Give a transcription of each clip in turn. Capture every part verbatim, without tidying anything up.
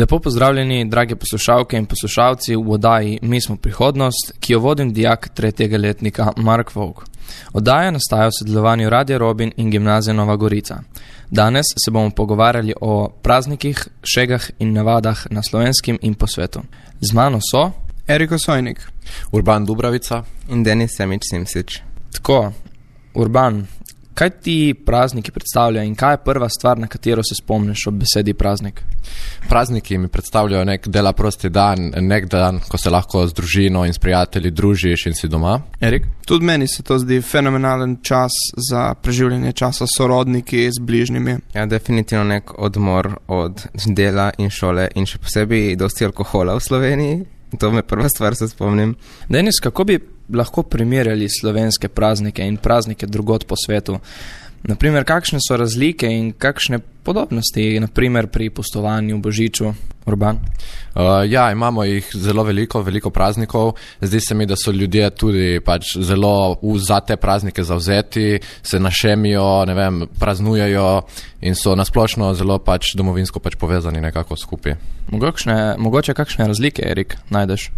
Lepo pozdravljeni, drage poslušalke in poslušalci v oddaji Mi smo prihodnost, ki jo vodim dijak tretjega letnika Mark Vovk. Oddaja nastaja v sodelovanju Radia Robin in Gimnazije Nova Gorica. Danes se bomo pogovarjali o praznikih, šegah in navadah na Slovenskem in po svetu. Z mano so Erik Osojnik, Urban Dubravica in Denis Semič Simsič. Tako, Urban, kaj ti prazniki predstavljajo in kaj je prva stvar, na katero se spomniš ob besedi praznik? Prazniki mi predstavljajo nek dela prosti dan, nek dan, ko se lahko z družino in s prijatelji družiš in si doma. Erik? Tudi meni se to zdi fenomenalen čas za preživljanje časa s sorodniki, z bližnjimi. Ja, definitivno nek odmor od dela in šole in še posebej dosti alkohola v Sloveniji. To me prva stvar se spomnim. Denis, kako bi lahko primerjali slovenske praznike in praznike drugod po svetu? Naprimer, kakšne so razlike in kakšne podobnosti, naprimer pri pustovanju, božiču, Urban? Uh, ja, imamo jih zelo veliko, veliko praznikov. Zdi se mi, da so ljudje tudi pač zelo v, za te praznike zavzeti, se našemijo, ne vem, praznujejo in so nasplošno zelo pač domovinsko pač povezani nekako skupaj. Mogoče, mogoče kakšne razlike, Erik, najdeš?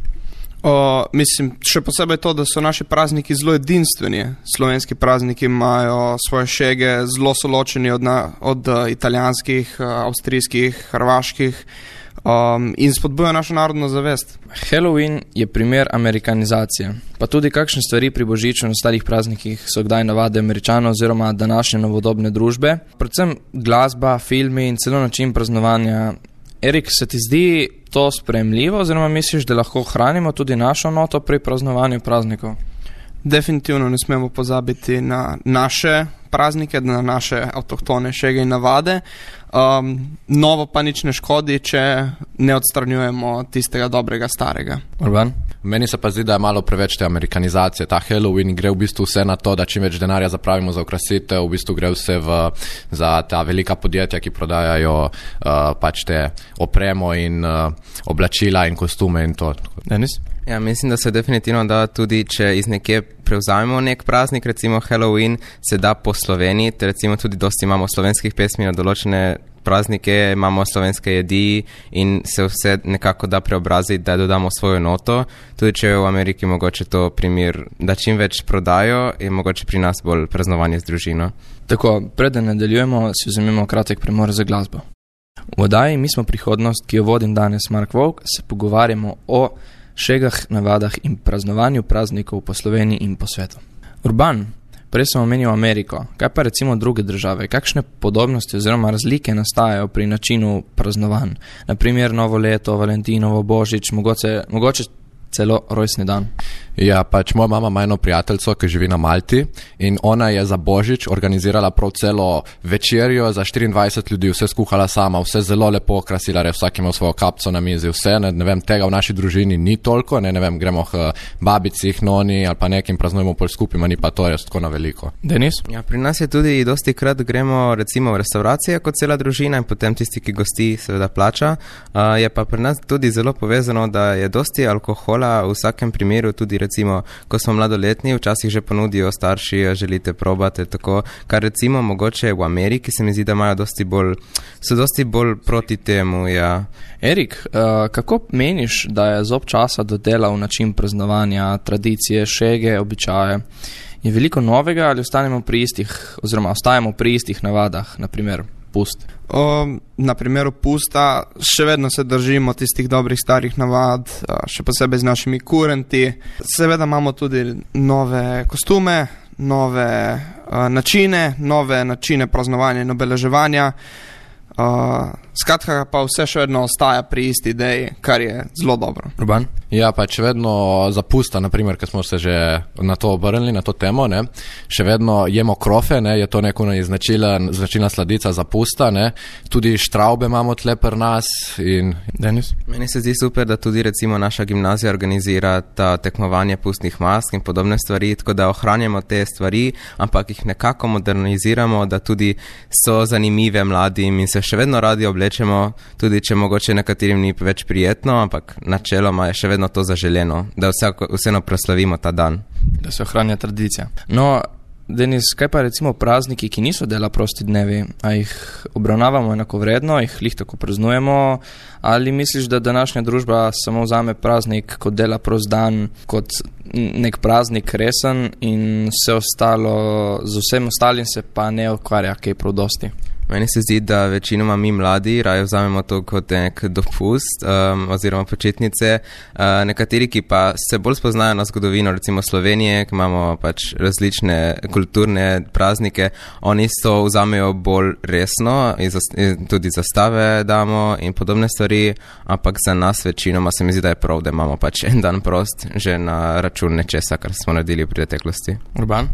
O, mislim, še posebej to, da so naši prazniki zelo edinstveni. Slovenski prazniki imajo svoje šege, zelo so ločeni od, na, od uh, italijanskih, uh, avstrijskih, hrvaških um, in spodbuja našo narodno zavest. Halloween je primer amerikanizacije, pa tudi kakšne stvari pri božiču in ostalih praznikih so kdaj navade Američanov oziroma današnje novodobne družbe. Predvsem glasba, filmi in celo način praznovanja. Erik, se ti zdi to sprejemljivo oziroma misliš, da lahko hranimo tudi našo noto pri praznovanju praznikov? Definitivno ne smemo pozabiti na naše praznike, na naše avtohtone šege in navade. Um, novo pa nič ne škodi, če ne odstranjujemo tistega dobrega starega. Urban? Meni se pa zdi, da je malo preveč te amerikanizacije. Ta Halloween gre v bistvu vse na to, da čim več denarja zapravimo za okrasitev, v bistvu gre vse v, za ta velika podjetja, ki prodajajo uh, pač te opremo in uh, oblačila in kostume in to. Denis? Ja, mislim, da se definitivno da tudi, če iz nekje prevzamemo nek praznik, recimo Halloween, se da posloveniti, recimo tudi dosti imamo slovenskih pesmi na določene praznike, imamo slovenske jedi in se vse nekako da preobraziti, da dodamo svojo noto. Tudi če je v Ameriki mogoče to primer, da čim več prodajo, je mogoče pri nas bolj praznovanje z družino. Tako, preden nadaljujemo, si vzemimo kratek premor za glasbo. V oddaji Mi smo prihodnost, ki jo vodim danes Mark Vovk, se pogovarjamo o šegah, navadah in praznovanju praznikov po Sloveniji in po svetu. Urban, prej sem omenil Ameriko, kaj pa recimo druge države? Kakšne podobnosti oziroma razlike nastajajo pri načinu praznovanj? Naprimer novo leto, Valentinovo, Božič, mogoče, mogoče celo rojstni dan. Ja, pač moja mama ima eno prijateljco, ki živi na Malti in ona je za Božič organizirala prav celo večerjo za štiriindvajset ljudi, vse skuhala sama, vse zelo lepo okrasila, res vsak ima svojo kapco na mizi, vse, ne, ne vem, tega v naši družini ni toliko, ne, ne vem, gremo k babici, k noni ali pa nekim praznujemo pol skupaj, ma ni pa to res tako na veliko. Denis? Ja, pri nas je tudi dosti krat gremo recimo v restauracije kot cela družina in potem tisti, ki gosti, seveda plača. Uh, je pa pri nas tudi zelo povezano, da je dosti alkohola v vsakem primeru, tudi recimo, ko smo mladoletni, včasih že ponudijo starši, želite probati, tako, kar recimo mogoče v Ameriki se mi zdi, da imajo dosti bolj, so dosti bolj proti temu, ja. Erik, uh, kako meniš, da je zob časa dodelal način praznovanja, tradicije, šege, običaje? Je veliko novega ali ostanemo pri istih, oziroma ostajamo pri istih navadah, naprimer pust? O, na primeru pusta še vedno se držimo tistih dobrih starih navad, še posebej z našimi kurenti. Seveda imamo tudi nove kostume, nove uh, načine, nove načine praznovanja in obeleževanja. Uh, skratka pa vse še vedno ostaja pri isti ideji, kar je zelo dobro. Urban? Ja, pač vedno za pusta, naprimer, ker smo se že na to obrnili, na to temo, ne, še vedno jemo krofe, ne, je to neko značilna sladica za pusta, ne, tudi štraube imamo tle pri nas in... Denis? Meni se zdi super, da tudi recimo naša gimnazija organizira ta tekmovanje pustnih mask in podobne stvari, tako da ohranjamo te stvari, ampak jih nekako moderniziramo, da tudi so zanimive mladim in se še vedno radi oblečemo, tudi če mogoče nekaterim ni več prijetno, ampak načeloma je še vedno to zaželeno, da vsako, vseeno proslavimo ta dan. Da se ohranja tradicija. No, Denis, kaj pa recimo prazniki, ki niso dela prosti dnevi, a jih obravnavamo enakovredno, jih lih tako praznujemo, ali misliš, da današnja družba samo vzame praznik kot dela prost dan, kot nek praznik resen in vse ostalo, z vsem ostalim se pa ne ukvarja kaj prav dosti? Meni se zdi, da večinoma mi mladi raje vzamemo to kot nek dopust um, oziroma počitnice. Uh, nekateri, ki pa se bolj spoznajo na zgodovino, recimo Slovenije, ki imamo pač različne kulturne praznike, oni to vzamejo bolj resno in, zas, in tudi zastave damo in podobne stvari, ampak za nas večinoma se mi zdi, da je prav, da imamo pač en dan prost že na račun nečesa, kar smo naredili v preteklosti. Urban?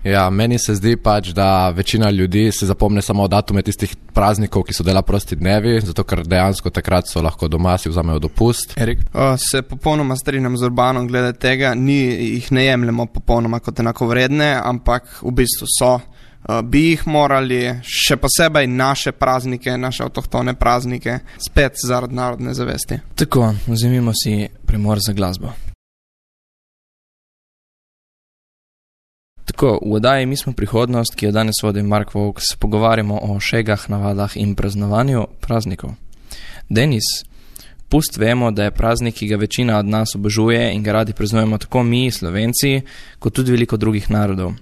Ja, meni se zdi pač, da večina ljudi se zapomne samo datume tistih praznikov, ki so dela prosti dnevi, zato ker dejansko takrat so lahko doma, si vzamejo dopust. Erik? Uh, se popolnoma strinjam z Urbanom glede tega, ni, jih ne jemljemo popolnoma kot enakovredne, ampak v bistvu so. Uh, bi jih morali, še posebej naše praznike, naše avtohtone praznike, spet zaradi narodne zavesti. Tako, vzemimo si premor za glasbo. Tako, v oddaji Mi smo prihodnost, ki jo danes vodi Mark Vovk, se pogovarjamo o šegah, navadah in praznovanju praznikov. Denis, pust vemo, da je praznik, ki ga večina od nas obožuje in ga radi praznujemo tako mi, Slovenci, kot tudi veliko drugih narodov.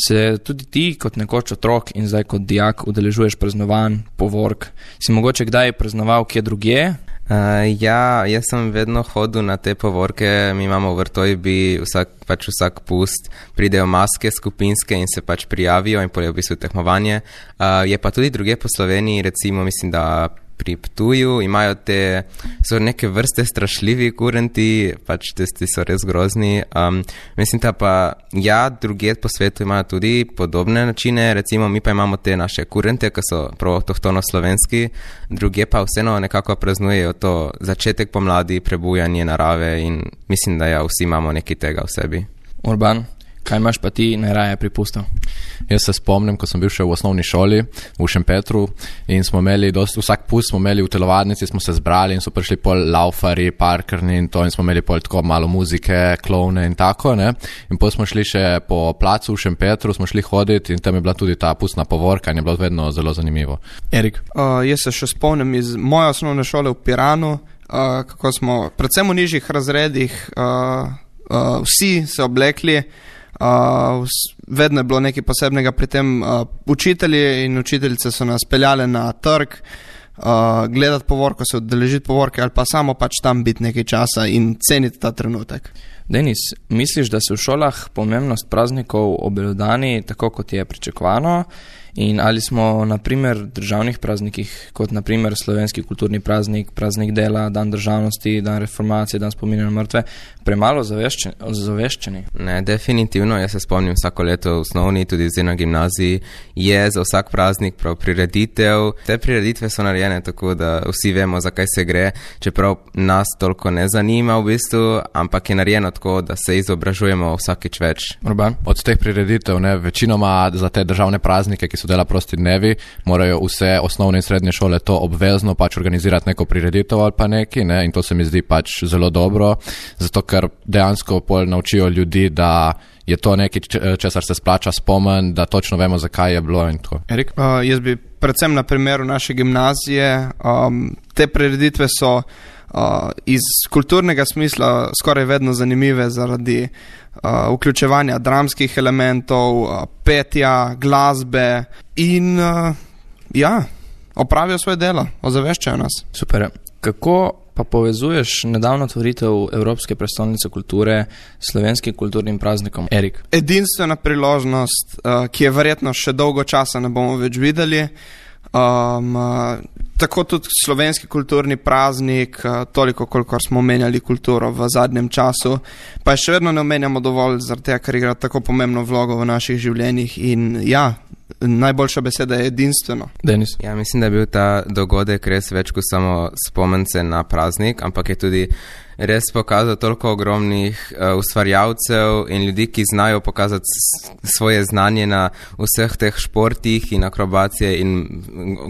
Se tudi ti, kot nekoč otrok in zdaj kot dijak, udeležuješ praznovanj, povork? Si mogoče kdaj praznoval kje drugje? Uh, ja, jaz sem vedno hodil na te povorke, mi imamo v Vrtojbi vsak, pač vsak pust, pridejo maske skupinske in se pač prijavijo in potem v bistvu tekmovanje. Uh, je pa tudi druge po Sloveniji, recimo mislim, da pri Ptuju imajo te, so neke vrste strašljivi kurenti, pač testi so res grozni. Um, mislim, da pa ja, druge po svetu imajo tudi podobne načine, recimo mi pa imamo te naše kurente, ki so prav avtohtono slovenski, druge pa vseeno nekako praznujejo to začetek pomladi, prebujanje narave in mislim, da ja, vsi imamo nekaj tega v sebi. Urban, kaj imaš pa ti najraje pripustil? Jaz se spomnim, ko sem bil še v osnovni šoli v Šempetru in smo imeli, dost, vsak pust smo imeli v telovadnici, smo se zbrali in so prišli pol laufari, parkerni in to in smo imeli pol tako malo muzike, klovne in tako, ne. In potem smo šli še po placu v Šempetru, smo šli hoditi in tam je bila tudi ta pustna povorka in je bilo vedno zelo zanimivo. Erik? Uh, jaz se še spomnim iz moje osnovne šole v Piranu, uh, kako smo predvsem v nižjih razredih uh, uh, vsi se oblekli. Uh, vedno je bilo nekaj posebnega pri tem. Uh, učitelji in učiteljice so nas peljali na trg, uh, gledati povorko, se udeležiti povorke ali pa samo pač tam biti nekaj časa in ceniti ta trenutek. Denis, misliš, da se v šolah pomembnost praznikov obelodani tako, kot je pričakovano? In ali smo na primer državnih praznikih, kot na primer slovenski kulturni praznik, praznik dela, dan državnosti, dan reformacije, dan spominja na mrtve, premalo zaveščeni? Ne, definitivno, jaz se spomnim vsako leto v osnovni, tudi zdaj na gimnaziji, je za vsak praznik prav prireditev. Te prireditve so narejene tako, da vsi vemo, zakaj se gre, čeprav nas toliko ne zanima v bistvu, ampak je narejeno tako, da se izobražujemo vsakič več. Urban? Od teh prireditev, ne, večinoma za te državne praznike, ki so dela prosti dnevi, morajo vse osnovne in srednje šole to obvezno pač organizirati neko prireditev ali pa neki, ne, in to se mi zdi pač zelo dobro, zato ker dejansko pol naučijo ljudi, da je to nekaj, česar se splača spomen, da točno vemo, zakaj je bilo in tako. Erik? Uh, jaz bi predvsem na primeru naše gimnazije, um, te prireditve so uh, iz kulturnega smisla skoraj vedno zanimive zaradi uh, vključevanja dramskih elementov, uh, petja, glasbe in uh, ja, opravijo svoje delo, ozaveščajo nas. Super. Kako pa povezuješ nedavno otvoritev Evropske prestolnice kulture s slovenskim kulturnim praznikom? Erik? Edinstvena priložnost, uh, ki je verjetno še dolgo časa ne bomo več videli. Um, uh, tako tudi slovenski kulturni praznik, uh, toliko, kolikor smo omenjali kulturo v zadnjem času, pa še vedno ne omenjamo dovolj, zaradi tega, ker igra tako pomembno vlogo v naših življenjih in ja, najboljša beseda je edinstveno. Denis? Ja, mislim, da je bil ta dogodek res več kot samo spomence na praznik, ampak je tudi res pokazal toliko ogromnih uh, ustvarjalcev in ljudi, ki znajo pokazati s, svoje znanje na vseh teh športih in akrobacije in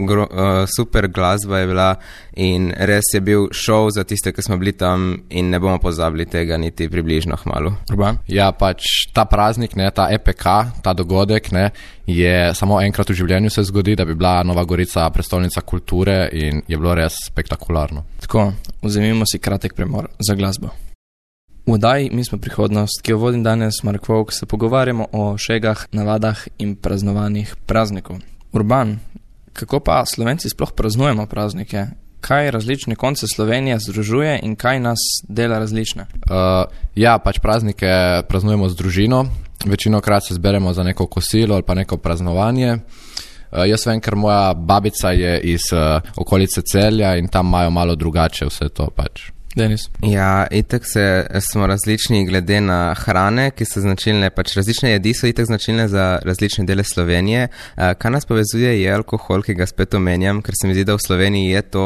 gro, uh, super glasba je bila in res je bil šov za tiste, ki smo bili tam in ne bomo pozabili tega niti približno hmalu. Urban? Ja, pač ta praznik, ne, ta E P K, ta dogodek, ne, je samo enkrat v življenju se zgodi, da bi bila Nova Gorica prestolnica kulture in je bilo res spektakularno. Tako, vzemimo si kratek premor za glasbo. V oddaji Mi smo prihodnost, ki jo vodim danes Mark Vovk, se pogovarjamo o šegah, navadah in praznovanjih praznikov. Urban, kako pa Slovenci sploh praznujemo praznike? Kaj različne konce Slovenije združuje in kaj nas dela različne? Uh, ja, pač praznike praznujemo z družino, večinokrat se zberemo za neko kosilo ali pa neko praznovanje. Uh, jaz vem, ker moja babica je iz uh, okolice Celja in tam imajo malo drugače vse to pač. Denis? Ja, itak se, smo različni glede na hrane, ki so značilne, pač različne jedi so itak značilne za različne dele Slovenije. Uh, kar nas povezuje je alkohol, ki ga spet omenjam, ker se mi zdi, da v Sloveniji je to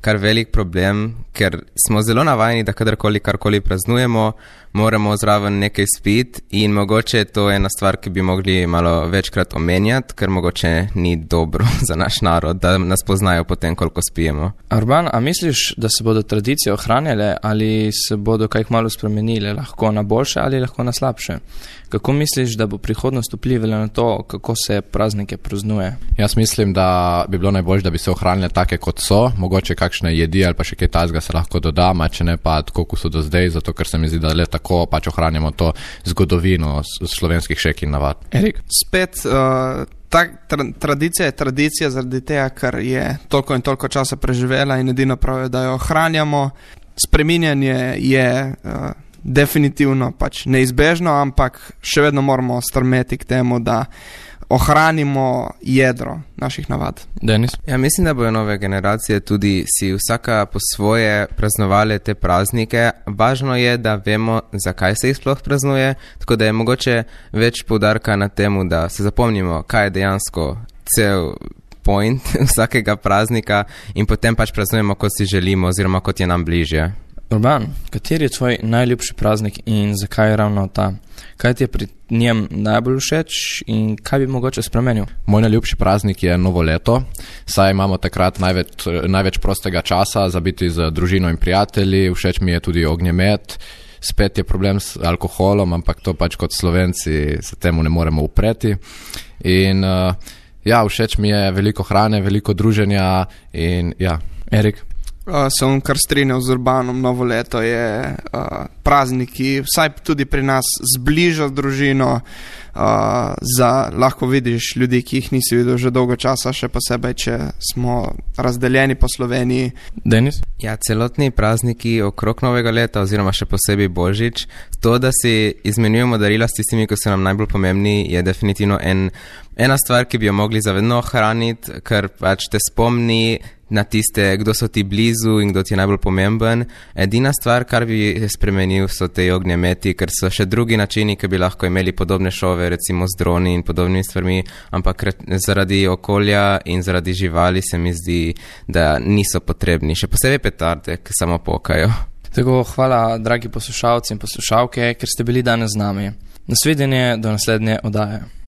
kar velik problem, ker smo zelo navajeni, da kadarkoli karkoli praznujemo, moramo zraven nekaj spiti in mogoče to je ena stvar, ki bi mogli malo večkrat omenjati, ker mogoče ni dobro za naš narod, da nas poznajo potem, koliko spijemo. Urban, a misliš, da se bodo tradicije ohranjale ali se bodo kaj malo spremenile, lahko na boljše ali lahko na slabše? Kako misliš, da bo prihodnost vplivala na to, kako se praznike praznuje? Jaz mislim, da bi bilo najbolj, da bi se ohranile take, kot so, mogoče kakšne jedi ali pa še kaj takega se lahko dodama, če ne pa tako, kot so do zdaj, zato ker se mi zdi, da le tako pač ohranjamo to zgodovino slovenskih šek in navad. Erik? Spet, uh, ta tra tradicija je tradicija zaradi tega, ker je toliko in toliko časa preživela in edino prav je, da jo ohranjamo. Spreminjanje je uh, definitivno pač neizbežno, ampak še vedno moramo strmeti k temu, da ohranimo jedro naših navad. Denis? Ja, mislim, da bojo nove generacije tudi si vsaka po svoje praznovali te praznike. Važno je, da vemo, zakaj se jih sploh praznuje, tako da je mogoče več poudarka na temu, da se zapomnimo, kaj je dejansko cel point vsakega praznika in potem pač praznujemo, kot si želimo oziroma kot je nam bližje. Urban, kateri je tvoj najljubši praznik in zakaj je ravno ta? Kaj ti je pri njem najbolj všeč in kaj bi mogoče spremenil? Moj najljubši praznik je Novo leto, saj imamo takrat največ, največ prostega časa za biti z družino in prijatelji, všeč mi je tudi ognjemet, spet je problem s alkoholom, ampak to pač kot Slovenci se temu ne moremo upreti. In uh, ja, všeč mi je veliko hrane, veliko druženja in ja. Erik? Uh, sem kar strinjal z Urbanom, Novo leto je uh, praznik, ki vsaj tudi pri nas zbliža družino, uh, za, lahko vidiš ljudi, ki jih nisi videl že dolgo časa, še posebej, če smo razdeljeni po Sloveniji. Denis? Ja, celotni prazniki okrog Novega leta oziroma še posebej Božič, to, da si izmenjujemo darila s tistimi, ki so nam najbolj pomembni, je definitivno en, ena stvar, ki bi jo mogli zavedno ohraniti, ker pač te spomni na tiste, kdo so ti blizu in kdo ti je najbolj pomemben. Edina stvar, kar bi spremenil, so te ognjemeti, ker so še drugi načini, ki bi lahko imeli podobne šove, recimo z droni in podobnimi stvarmi, ampak zaradi okolja in zaradi živali se mi zdi, da niso potrebni. Še posebej petarde, ki samo pokajo. Tako, hvala, dragi poslušalci in poslušalke, ker ste bili danes z nami. Nasvidenje do naslednje oddaje.